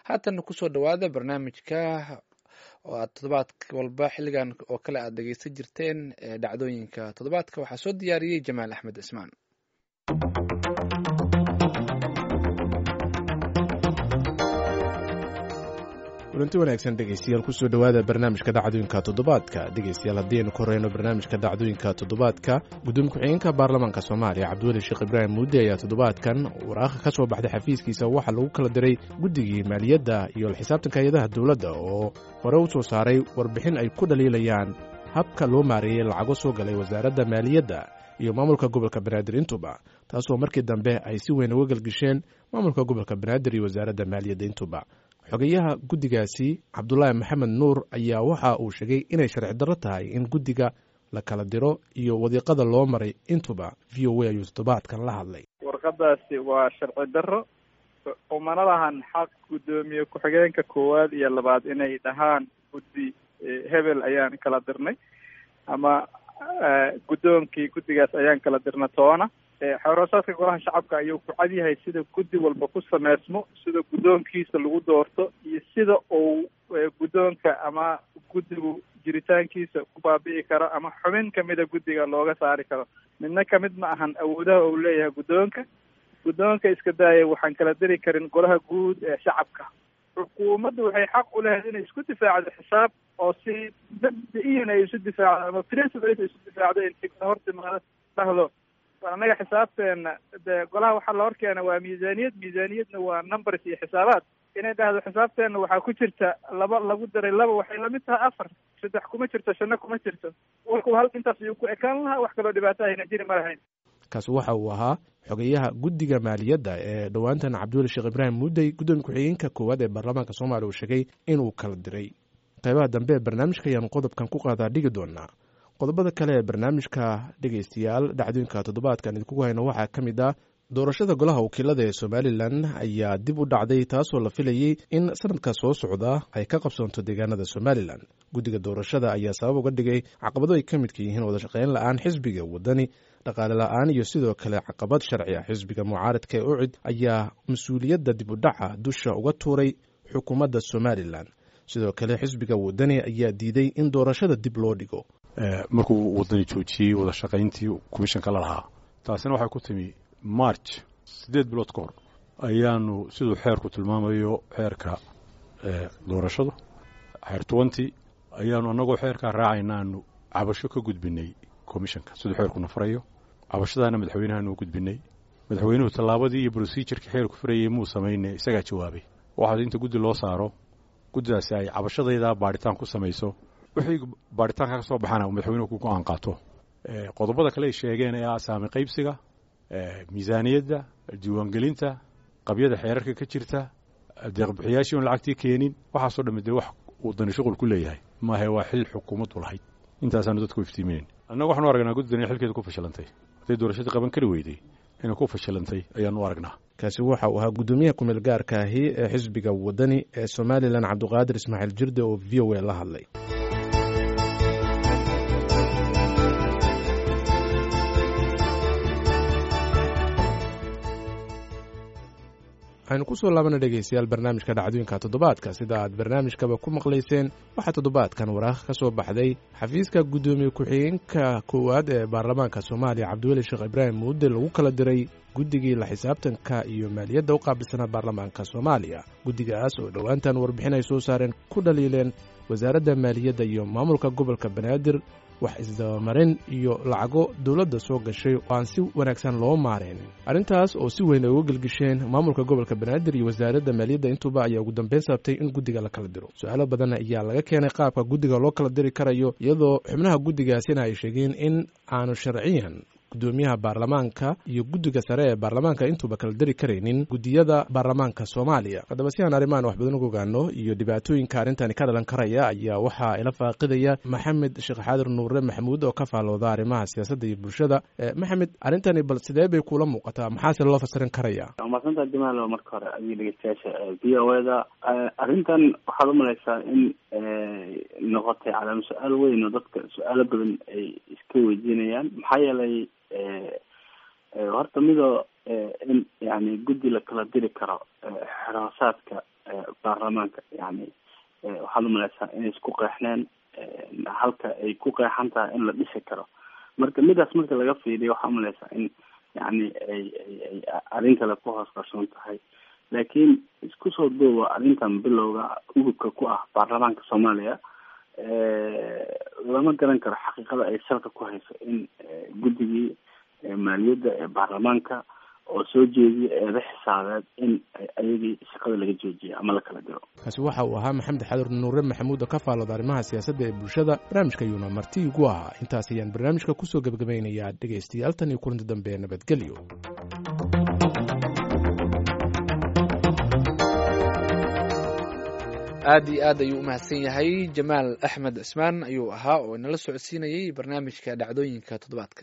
Haatan kusoo dhawaada barnaamijka oo aad toddobaad walba xilligan oo kale aad dhegeysan jirteen ee dhacdooyinka toddobaadka. Waxaa soo diyaariyey Jamaal Axmed Cismaan. Kulanti wanaagsan dhegeystayaal, kusoo dhowaada barnaamijka dhacdooyinka toddobaadka. Dhegeystayaal, haddii aynu ku horeyno barnaamijka dhacdooyinka toddobaadka, gudoomiye ku-xigeenka baarlamaanka Soomaaliya Cabdiweli Sheekh Ibraahim Muudde ayaa toddobaadkan waraaqha ka soo baxday xafiiskiisa waxaa lagu kala diray guddigii maaliyadda iyo la xisaabtanka hay-adaha dowladda oo hore u soo saaray warbixin ay ku dhaliilayaan habka loo maareeyey lacago soo galay wasaaradda maaliyadda iyo maamulka gobolka Banaadir intuba, taasoo markii dambe ay si weyn uga gelgisheen maamulka gobolka Banaadir iyo wasaaradda maaliyadda intuba. Xogeyaha guddigaasi Cabdulaahi Maxamed Nuur ayaa waxa uu sheegay inay sharci darro tahay in guddiga la kala diro iyo wadiiqada loo maray intuba. VOA ayuu toddobaadkan la hadlay. Warqadaasi waa sharci darro, umana lahan xaq guddoomiye ku-xigeenka koowaad iyo labaad inay dhahaan guddi hebel ayaan kala dirnay ama guddoonkii guddigaas ayaan kala dirna toona. Xoroosaadka golaha shacabka ayuu ku cad yahay sida guddi walba ku sameysmo, sida guddoonkiisa lagu doorto iyo sida uu guddoonka ama guddigu jiritaankiisa ku baabi'i karo ama xubin kamida guddiga looga saari karo. Midna kamid ma ahan awoodaha uu leeyahay guddoonka. Guddoonka iska daaya, waxaan kala diri karin golaha guud ee shacabka. Xukuumaddu waxay xaq u lahayd inay isku difaacdo xisaab oo si mabda-iyan ay isu difaacdo ama principles ay isu difaacdo, intay hortimaado dhahdo annaga xisaabteena dee golaha waxaa la horkeena waa miisaaniyad, miisaaniyadna waa numbers iyo xisaabaad. Inay dhahdo xisaabteena waxaa ku jirta laba lagu daray laba waxay lamid tahay afar, saddex kuma jirto, shanna kuma jirto. Warku hal intaas ayuu ku ekaan lahaa, wax kaloo dhibaato ahayna jiri ma lahayn. Kaasi waxa uu ahaa xogeyaha guddiga maaliyadda ee dhowaantan Cabdiweli Sheekh Ibraahim Muudey, gudoomiye ku-xigeenka koowaad ee baarlamaanka Soomaaliya, uu sheegay inuu kala diray. Qaybaha dambe ee barnaamijka ayaanu qodobkan ku qaadaa dhigi doonaa. Qodobada kale ee barnaamijka dhegeystayaal dhacdooyinka toddobaadkan idinkugu hayno waxaa ka mid ah doorashada golaha wakiilada ee Somalilan ayaa dib u dhacday, taasoo la filayey in sanadka soo socda ay ka qabsoonto deegaanada Somalilan. Guddiga doorashada ayaa sabab uga dhigay caqabado ay ka midka yihiin wadashaqeyn la-aan xisbiga Wadani, dhaqaale la-aan iyo sidoo kale caqabad sharci ah. Xisbiga mucaaradka ee UCID ayaa mas-uuliyadda dib u dhaca dusha uga tuuray xukuumadda Somalilan. Sidoo kale xisbiga Wadani ayaa diiday in doorashada dib loo dhigo. Markuu Wadani joojiyey wada shaqayntii komishanka la lahaa, taasina waxay ku timi March, 8 bilood ka hor ayaanu, siduu xeerku tilmaamayo, xeerka doorashadu xeer 20, ayaanu annagoo xeerkaa raacayna aanu cabasho ka gudbinay komishanka siduu xeerkuna farayo. Cabashadaana madaxweynahaanu u gudbinay. Madaxweynuhu tallaabadii iyo procedure-kii xeerku farayey muu samayne, isagaa jawaabay. Waxaas inta guddi loo saaro, guddidaasi ay cabashadaydaa baadhitaan ku samayso, wixii baadhitaanka ka soo baxana uu madaxweynuhu ku go'aan qaato. Qodobada kale ay sheegeen ee ah saami qaybsiga, miisaaniyadda, diiwaangelinta, qabyada xeerarka ka jirta, deeqbixiyaashii oon lacagtii keenin, waxaasoo dhammi dee wax Wadani shuqul ku leeyahay maahe, waa xil xukuumaddu lahayd. Intaasaanu dadku iftiiminayn. Annagu waxaanu aragnaa guddidan inay xilkeeda ku fashilantay. Hadday doorashadii qaban kari weyday, inay ku fashilantay ayaanu aragnaa. Kaasi waxa uu ahaa guddoomiyaha kumeel gaarka ahi ee xisbiga Wadani ee Somalilan, Cabdiqaadir Ismaaciil Jirde, oo VOA la hadlay. Waxaynu kusoo laabana dhegeystayaal barnaamijka dhacdooyinka toddobaadka. Sida aad barnaamijkaba ku maqlayseen, waxaa toddobaadkan waraaq ka soo baxday xafiiska guddoomiye ku-xigeenka koowaad ee baarlamaanka Soomaaliya Cabdiweli Sheekh Ibraahim Muudde lagu kala diray guddigii la xisaabtanka iyo maaliyadda u qaabilsanaa baarlamaanka Soomaaliya, guddigaas oo dhowaantan warbixin ay soo saareen ku dhaliileen wasaaradda maaliyadda iyo maamulka gobolka Banaadir wax isdabamarin iyo lacago dowladda soo gashay oo aan si wanaagsan loo maareynin. Arrintaas oo si weyn ay uga gelgisheen maamulka gobolka Banaadir iyo wasaaradda maaliyadda intuba ayaa ugu dambeyn sababtay in guddiga la kala diro. Su-aalo badan ayaa laga keenay qaabka guddiga loo kala diri karayo, iyadoo xubnaha guddigaasina ay sheegeen in aanu sharciyan guddoomiyaha baarlamaanka iyo guddiga sare ee baarlamaanka intuuba kala diri karaynin guddiyada baarlamaanka Soomaaliya. Haddaba, si aan arrimahan wax badan uga ogaano iyo dhibaatooyinka arrintani ka dhalan karaya, ayaa waxaa ila faaqidaya Maxamed Sheekh Xaadir Nuure Maxamuud oo ka faalooda arrimaha siyaasadda iyo bulshada. Maxamed, arrintani bal sidee bay kula muuqataa? Maxaase loo fasirin karaya? Waa mahadsanta Jamaal. Marka hore adiga, dhegeystayaasha VOA-da, arrintan waxaad umalaysaa in noqotay calaama su-aal weyn oo dadka su-aalo badan ay iska weydiinayaan. Maxaa yeelay, horta midoo in yani guddi la kala diri karo xeroosaadka Baarlamaanka yani waxaad umaleysaa inay isku qeexneen halka ay ku qeexan tahay in la dhisi karo. Marka midaas marka laga fiiriyo, waxaa umaleysaa in yani ay ay ay arrin kale ku hoos qarsoon tahay. Laakiin isku soo duuba, arrintan bilowga udubka ku ah baarlamaanka Soomaaliya, lama garan karo xaqiiqada ay salka ku hayso in guddigii maaliyadda ee baarlamaanka oo soo jeediya eeda xisaabeed in ayagii shaqada laga joojiyo ama la kala diro. Kaasi waxa uu ahaa Maxamed Xadur Nuure Maxamuud oo ka faallooda arrimaha siyaasadda ee bulshada. Barnaamijka ayuuna marti igu ahaa. Intaas ayaan barnaamijka kusoo gebagabaynayaa, dhegaystayaal. Tan iyo kulanti dambe, nabadgelyo. Aad iyo aad ayuu u mahadsan yahay. Jamaal Axmed Cismaan ayuu ahaa oo inala socodsiinayay barnaamijka dhacdooyinka toddobaadka.